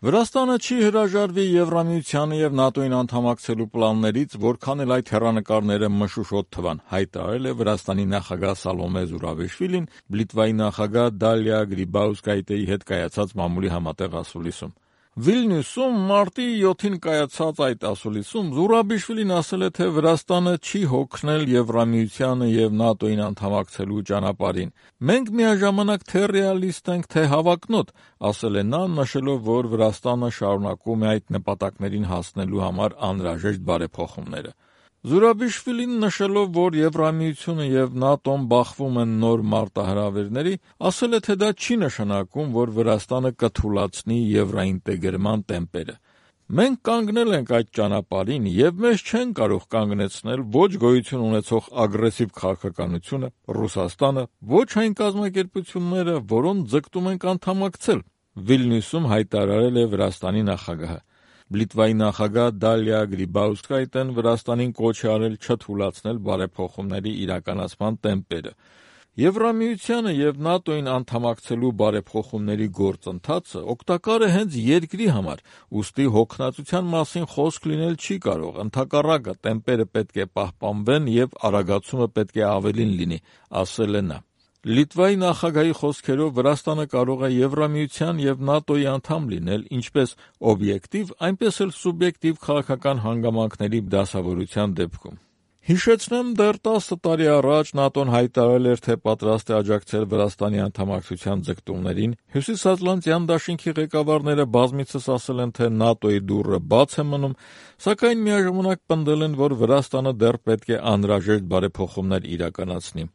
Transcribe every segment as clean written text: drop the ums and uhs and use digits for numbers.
Վրաստանը չի հրաժարվի Եվրամիությանը եւ ՆԱՏՕ-ին անդամակցելու պլաններից, որքան էլ այդ հեռանկարները մշուշոտ թվան, հայտարարել է Վրաստանի նախագահ Սալոմե Զուրաբիշվիլին Լիտվայի նախագահ Դալիա Գրիբաուսկայիթեի հետ կայացած մամուլի համատեղ ասուլիսում։ Վիլնյուսում մարտի 7-ին կայացած այդ ասուլիսում Զուրաբիշվիլին ասել է, թե Վրաստանը չի հոգնել Եվրամիությանը եւ ՆԱՏՕ-ին անդամակցելու ճանապարհին։ Մենք միաժամանակ թե ռեալիստ ենք, թե հավակնոտ, ասել է նա, նշելով, որ Վրաստանը շարունակում է այդ նպատակներին հասնելու համար անհրաժեշտ բարեփոխումները։ Զուրաբիշվիլին նշելով, որ Եվրամիությունը եւ ՆԱՏՕ-ն բախվում են նոր մարտահրավերների, ասել է, թե դա չի նշանակում, որ Վրաստանը կթուլացնի եվրոինտեգրման տեմպերը։ Մենք կանգնել ենք այդ ճանապարհին եւ մեզ չեն կարող կանգնեցնել ոչ գոյություն ունեցող ագրեսիվ քաղաքականությունը, Ռուսաստանը, ոչ այն կազմակերպությունները, որոնց ձգտում ենք անդամակցել, Վիլնյուսում հայտարարել է Վրաստանի նախագահը։ Լիտվայի նախագահ Դալիա Գրիբաուսկայիթեն Վրաստանին կոչ է արել չթուլացնել բարեփոխումների իրականացման տեմպերը։ Եվրամիությանը եւ ՆԱՏՕ-ին անդամակցելու բարեփոխումների գործընթացը օգտակար է հենց երկրի համար, ուստի հոգնածության մասին խոսք լինել չի կարող, ընդհակառակը տեմպերը պետք է պահպանվեն եւ արագացումը պետք է ավելին լինի, ասել է նա։ Լիտվայի նախագահի խոսքերով Վրաստանը կարող է Եվրամիության եւ ՆԱՏՕ-ի անդամ լինել ինչպես օբյեկտիվ, այնպես էլ սուբյեկտիվ քաղաքական հանգամանքների դասավորության դեպքում։ Հիշեցնեմ, դեռ 10 տարի առաջ ՆԱՏՕ-ն հայտարարել էր, թե պատրաստ է աջակցել Վրաստանի անդամակցության ձգտումներին, Հյուսիսատլանտյան դաշինքի ղեկավարները բազմիցս ասել են, թե ՆԱՏՕ-ի դուռը բաց է մնում, սակայն միաժամանակ պնդել են, որ Վրաստանը դեռ պետք է անհրաժեշտ բարեփոխումներ իրականացնի։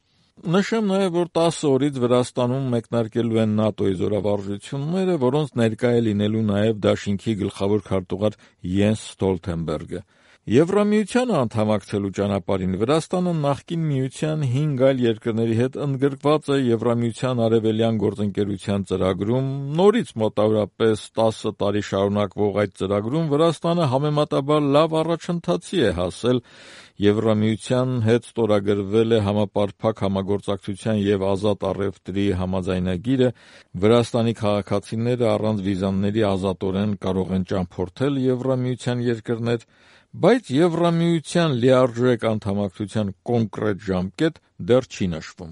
Նշեմ նաև, որ 10 օրից Վրաստանում մեկնարկելու են ՆԱՏՕ-ի զորավարժությունները, որոնց ներկա է լինելու նաև դաշինքի գլխավոր քարտուղար Յենս Ստոլթենբերգը։ Եվրամիությանը անդամակցելու ճանապարհին Վրաստանը նախկին միության 5 այլ երկրների հետ ընդգրկված է Եվրամիության արևելյան գործընկերության ծրագրում, նորից մոտավորապես 10 տարի շարունակվող այդ ծրագրում Վրաստանը համեմատաբար լավ առաջընթացի է հասել, Եվրամիության հետ ստորագրվել է համապարփակ համագործակցության եւ ազատ առևտրի համաձայնագիրը, Վրաստանի քաղաքացիները առանց վիզաների ազատորեն կարող են ճամփորդել Եվրամիության երկրներ, բայց Եվրամիության լիարժեք անդամակցության կոնկրետ ժամկետ դեռ չի նշվում։